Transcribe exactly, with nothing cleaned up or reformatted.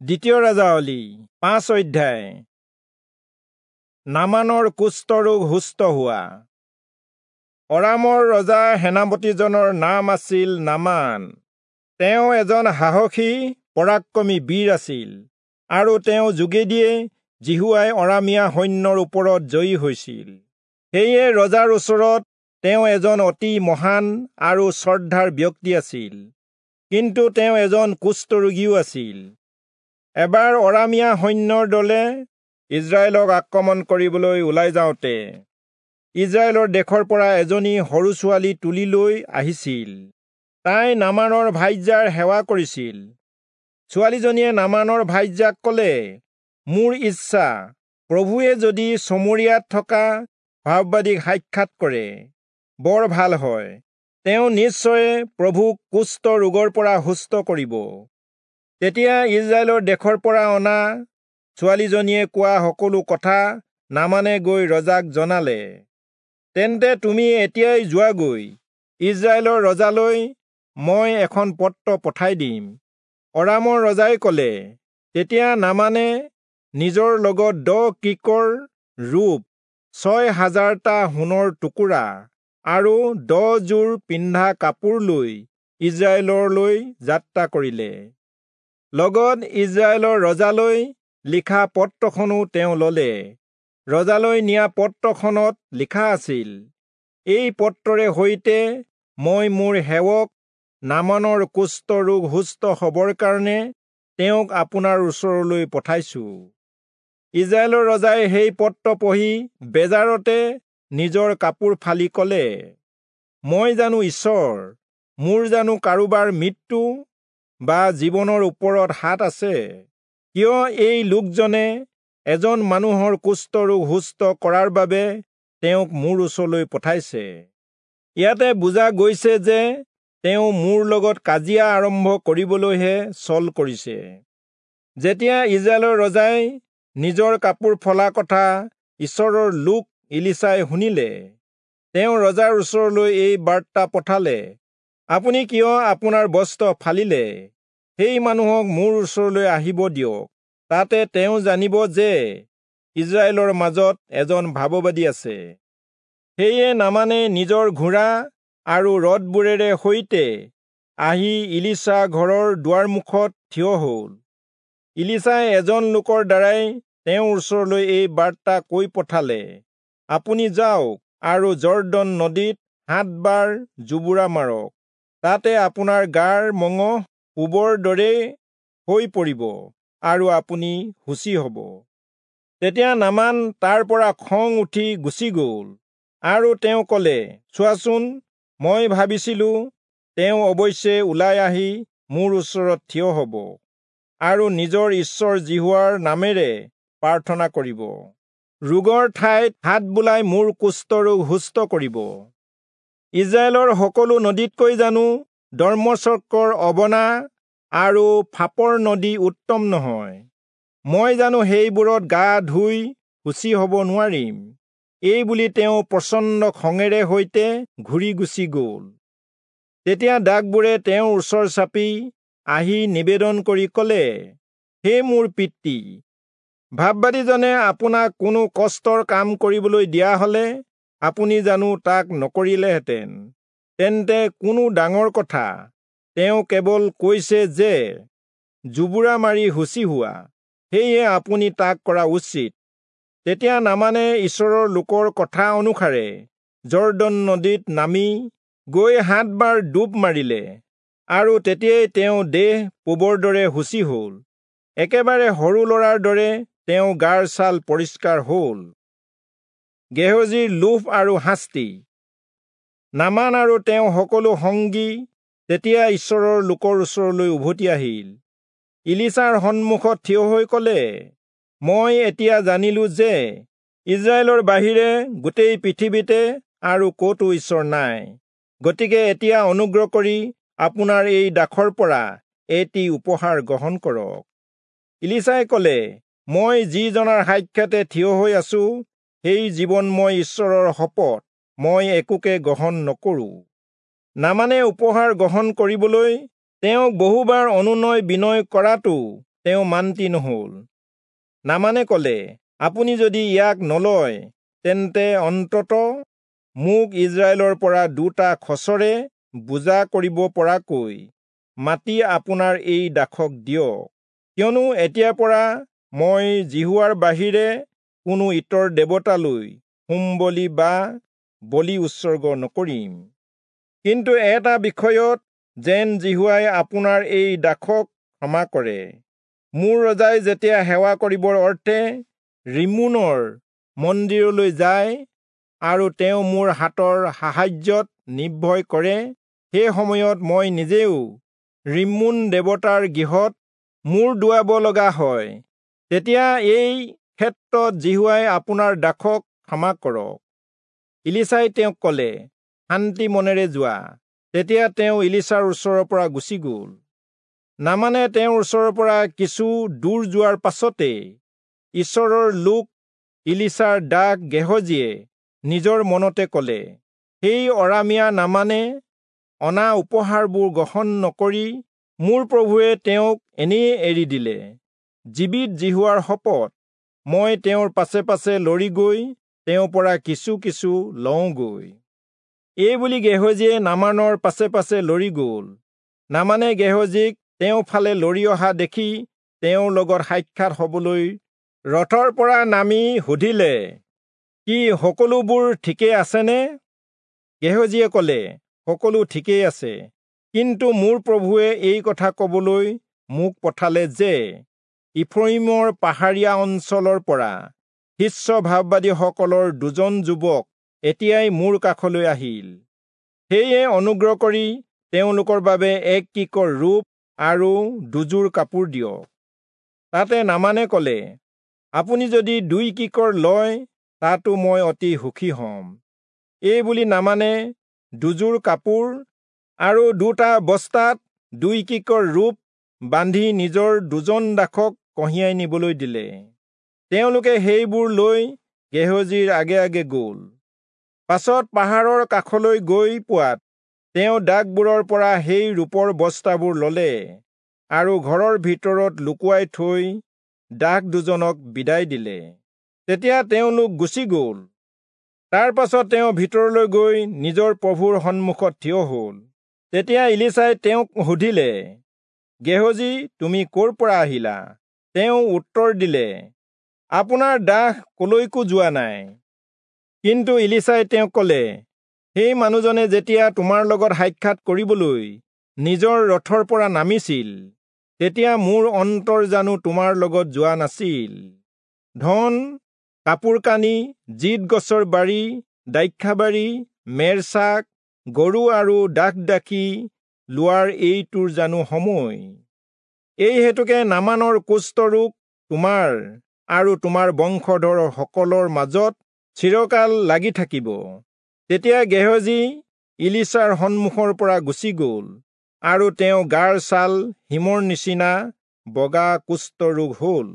দ্বিতীয় ৰাজাৱলী পাঁচ অধ্যায়। নামানৰ কুষ্ঠৰোগ সুস্থ হোৱা। অৰামৰ ৰজা সেনাপতিজনৰ নাম আছিল নামান। তেওঁ এজন সাহসী পৰাক্ৰমী বীৰ আছিল আৰু তেওঁ যোগেদিয়ে যিহোৱাই অৰামীয়া সৈন্যৰ ওপৰত জয়ী হৈছিল। সেয়ে ৰজাৰ ওচৰত তেওঁ এজন অতি মহান আৰু শ্ৰদ্ধাৰ ব্যক্তি আছিল। কিন্তু তেওঁ এজন কুষ্ঠৰোগীও আছিল। এবাৰ অৰামীয়া সৈন্যৰ দলে ইজৰাইলক আক্ৰমণ কৰিবলৈ ওলাই যাওঁতে ইজৰাইলৰ দেশৰ পৰা এজনী সৰু ছোৱালী তুলি লৈ আহিছিল। তাই নামানৰ ভাৰ্যাৰ সেৱা কৰিছিল। ছোৱালীজনীয়ে নামানৰ ভাৰ্যাক ক'লে, মোৰ ইচ্ছা, প্ৰভুৱে যদি চমৰীয়াত থকা ভাববাদীক সাক্ষাৎ কৰে বৰ ভাল হয়। তেওঁ নিশ্চয়ে প্ৰভুক কুষ্ঠ ৰোগৰ পৰা সুস্থ কৰিব। তেতিয়া ইজৰাইলৰ দেশৰ পৰা অনা ছোৱালীজনীয়ে কোৱা সকলো কথা নামানে গৈ ৰজাক জনালে। তেন্তে তুমি এতিয়াই যোৱাগৈ, ইজৰাইলৰ ৰজালৈ মই এখন পত্ৰ পঠাই দিম। অৰামৰ ৰজাই ক'লে। তেতিয়া নামানে নিজৰ লগত দহ কিকৰ ৰূপ, ছয় হাজাৰটা সোণৰ টুকুৰা আৰু দহযোৰ পিন্ধা কাপোৰ লৈ ইজৰাইললৈ যাত্ৰা কৰিলে। লগত ইজৰাইলৰ ৰজালৈ লিখা পত্ৰখনো তেওঁ ললে। ৰজালৈ নিয়া পত্ৰখনত লিখা আছিল, এই পত্ৰৰে সৈতে মই মোৰ সেৱক নামানৰ কুষ্ঠ ৰোগ সুস্থ হ'বৰ কাৰণে তেওঁক আপোনাৰ ওচৰলৈ পঠাইছো। ইজৰাইলৰ ৰজাই সেই পত্ৰ পঢ়ি বেজাৰতে নিজৰ কাপোৰ ফালি ক'লে, মই জানো ঈশ্বৰ? মোৰ জানো কাৰোবাৰ মৃত্যু বা জীৱনৰ ওপৰত হাত আছে? কিয় এই লোকজনে এজন মানুহৰ কুষ্ঠৰোগ সুস্থ কৰাৰ বাবে তেওঁক মোৰ ওচৰলৈ পঠাইছে? ইয়াতে বুজা গৈছে যে তেওঁ মোৰ লগত কাজিয়া আৰম্ভ কৰিবলৈহে ছল কৰিছে। যেতিয়া ইজৰাইলৰ ৰজাই নিজৰ কাপোৰ ফলা কথা ঈশ্বৰৰ লোক ইলিচাই শুনিলে, তেওঁ ৰজাৰ ওচৰলৈ এই বাৰ্তা পঠালে, আপুনি কিয় আপোনাৰ বস্ত্ৰ ফালিলে? সেই মানুহক মোৰ ওচৰলৈ আহিব দিয়ক, তাতে তেওঁ জানিব যে ইজৰাইলৰ মাজত এজন ভাববাদী আছে। সেয়ে নামানে নিজৰ ঘোঁৰা আৰু ৰথবোৰেৰে সৈতে আহি ইলিচা ঘৰৰ দুৱাৰমুখত থিয় হ'ল। ইলিচাই এজন লোকৰ দ্বাৰাই তেওঁৰ ওচৰলৈ এই বাৰ্তা কৈ পঠালে, আপুনি যাওক আৰু যৰ্দন নদীত সাতবাৰ জোবোৰা মাৰক, তাতে আপোনাৰ গাৰ মঙহ পূবৰ দৰেই হৈ পৰিব আৰু আপুনি শুচি হ'ব। তেতিয়া নামান তাৰ পৰা খং উঠি গুচি গ'ল আৰু তেওঁ ক'লে, চোৱাচোন, মই ভাবিছিলো তেওঁ অৱশ্যে ওলাই আহি মোৰ ওচৰত থিয় হ'ব আৰু নিজৰ ঈশ্বৰ যিহোৱাৰ নামেৰে প্ৰাৰ্থনা কৰিব, ৰোগৰ ঠাইত হাত বোলাই মোৰ কুষ্ঠৰোগ সুস্থ কৰিব। ইজৰাইলৰ সকলো নদীতকৈ জানো দম্মেচকৰ অবনা আৰু ফাপৰ নদী উত্তম নহয়? মই জানো সেইবোৰত গা ধুই শুচি হ'ব নোৱাৰিম? এই বুলি তেওঁ প্ৰচণ্ড খঙেৰে সৈতে ঘূৰি গুচি গ'ল। তেতিয়া দাসবোৰে তেওঁৰ ওচৰ চাপি আহি নিবেদন কৰি ক'লে, হে মোৰ পিতৃ, ভাববাদীজনে আপোনাক কোনো কষ্টৰ কাম কৰিবলৈ দিয়া হ'লে আপুনি জানো তাক নকৰিলেহেঁতেন? তেন্তে কোনো ডাঙৰ কথা, তেওঁ কেৱল কৈছে যে জোবোৰা মাৰি শুচি হোৱা, সেয়ে আপুনি তাক কৰা উচিত। তেতিয়া নামানে ঈশ্বৰৰ লোকৰ কথা অনুসাৰে যৰ্দন নদীত নামি গৈ সাতবাৰ ডুব মাৰিলে আৰু তেতিয়াই তেওঁ দেহ পূবৰ দৰে শুচি হ'ল। একেবাৰে সৰু ল'ৰাৰ দৰে তেওঁ গাৰ ছাল পৰিষ্কাৰ হ'ল। গেহজীৰ লোভ আৰু শাস্তি। নামান আৰু তেওঁ সকলো সংগী তেতিয়া ঈশ্বৰৰ লোকৰ ওচৰলৈ উভতি আহিল। ইলিচাৰ সন্মুখত থিয় হৈ ক'লে, মই এতিয়া জানিলো যে ইজৰাইলৰ বাহিৰে গোটেই পৃথিৱীতে আৰু ক'তো ঈশ্বৰ নাই। গতিকে এতিয়া অনুগ্ৰহ কৰি আপোনাৰ এই দাসৰ পৰা এটি উপহাৰ গ্ৰহণ কৰক। ইলিচাই ক'লে, মই যিজনাৰ সাক্ষাতে থিয় হৈ আছো, সেই জীৱনময় ঈশ্বৰৰ শপত মই একোকে গ্ৰহণ নকৰো। নামানে উপহাৰ গ্ৰহণ কৰিবলৈ তেওঁক বহুবাৰ অনুনয় বিনয় কৰাটো তেওঁ মান্তি নহল। নামানে কলে, আপুনি যদি ইয়াক নলয়, তেন্তে অন্তত মোক ইজৰাইলৰ পৰা দুটা খচৰে বোজা কৰিব পৰাকৈ মাটি আপোনাৰ এই দাসক দিয়ক, কিয়নো এতিয়াৰ পৰা মই যিহোৱাৰ বাহিৰে কোনো ইতৰ দেৱতালৈ হোম বলি বা বলি উৎসৰ্গ নকৰিম। কিন্তু এটা বিষয়ত যেন যিহোৱাই আপোনাৰ এই দাসক ক্ষমা কৰে। মোৰ ৰজাই যেতিয়া সেৱা কৰিবৰ অৰ্থে ৰিম্মোনৰ মন্দিৰলৈ যায় আৰু তেওঁ মোৰ হাতৰ সাহায্যত নিৰ্ভয় কৰে, সেই সময়ত মই নিজেও ৰিম্মোন দেৱতাৰ গৃহত মূৰ দোৱাব লগা হয়, তেতিয়া এই ক্ষেত্ৰত যিহোৱাই আপোনাৰ দাসক ক্ষমা কৰক। ইলীচাই তেওঁক কলে, শান্তি মনেৰে যোৱা। তেতিয়া তেওঁ ইলীচাৰ ওচৰৰ পৰা গুচি গল। নামানে তেওঁৰ ওচৰৰ পৰা কিছু দূৰ যোৱাৰ পাছতে ঈশ্বৰৰ লোক ইলীচাৰ দাস গেহজীয়ে নিজৰ মনতে কলে, সেই অৰামীয়া নামানে অনা উপহাৰবোৰ গ্ৰহণ নকৰি মোৰ প্ৰভুৱে তেওঁক এনেয়ে এৰি দিলে। জীৱিত যিহোৱাৰ শপত, মই তেওঁৰ পাছে পাছে লৰি গৈ তেওঁৰ পৰা কিছু কিছু লওঁগৈ। এই বুলি গেহজীয়ে নামানৰ পাছে পাছে লৰি গল। নামানে গেহজীক তেওঁৰ ফালে লৰি অহা দেখি তেওঁৰ লগত সাক্ষাৎ হবলৈ ৰথৰ পৰা নামি সুধিলে, কি সকলোবোৰ ঠিকেই আছেনে? গেহজীয়ে কলে, সকলো ঠিকেই আছে, কিন্তু মোৰ প্ৰভুৱে এই কথা কবলৈ মোক পঠালে যে, ইফ্ৰয়িমৰ পাহাৰীয়া অঞ্চলৰ পৰা শিষ্য ভাববাদীসকলৰ দুজন যুৱক এতিয়াই মোৰ কাষলৈ আহিল। সেয়ে অনুগ্ৰহ কৰি তেওঁলোকৰ বাবে এক কিকৰ ৰূপ আৰু দুযোৰ কাপোৰ দিয়ক। তাতে নামানে কলে, আপুনি যদি দুই কিকৰ লয়, তাতো মই অতি সুখী হম। এই বুলি নামানে দুযোৰ কাপোৰ আৰু দুটা বস্তাত দুই কিকৰ ৰূপ বান্ধি নিজৰ দুজন দাসক কঢ়িয়াই নিবলৈ দিলে। তেওঁলোকে সেইবোৰ লৈ গেহজীৰ আগে আগে গল। পাছত পাহাৰৰ কাষলৈ গৈ পোৱাত তেওঁ দাসবোৰৰ পৰা সেই ৰূপৰ বস্তাবোৰ ললে আৰু ঘৰৰ ভিতৰত লুকুৱাই থৈ দাস দুজনক বিদায় দিলে। তেতিয়া তেওঁলোক গুচি গল। তাৰ পাছত তেওঁ ভিতৰলৈ গৈ নিজৰ প্ৰভুৰ সন্মুখত থিয় হল। তেতিয়া ইলীচাই তেওঁক সুধিলে, গেহজী, তুমি কৰ পৰা আহিলা? তেওঁ উত্তৰ দিলে, আপোনাৰ দাস কলৈকো যোৱা নাই। কিন্তু ইলীচাই তেওঁক কলে, সেই মানুহজনে যেতিয়া তোমাৰ লগত সাক্ষাৎ কৰিবলৈ নিজৰ ৰথৰ পৰা নামিছিল, তেতিয়া মোৰ অন্তৰ জানো তোমাৰ লগত যোৱা নাছিল? ধন, কাপোৰ কানি, জিত গছৰ বাৰী, দ্ৰাক্ষাবাৰী, মেৰছাক, গৰু আৰু দাস দাসী লোৱাৰ এইটোৰ জানো সময়? এই হেতুকে নামানৰ কুষ্ঠৰোগ তোমাৰ আৰু তোমাৰ বংশধৰ সকলৰ মাজত চিৰকাল লাগি থাকিব। তেতিয়া গেহজী ইলীচাৰ সন্মুখৰ পৰা গুচি গল আৰু তেওঁ গাৰ ছাল হিমৰ নিচিনা বগা কুষ্ঠৰোগ হল।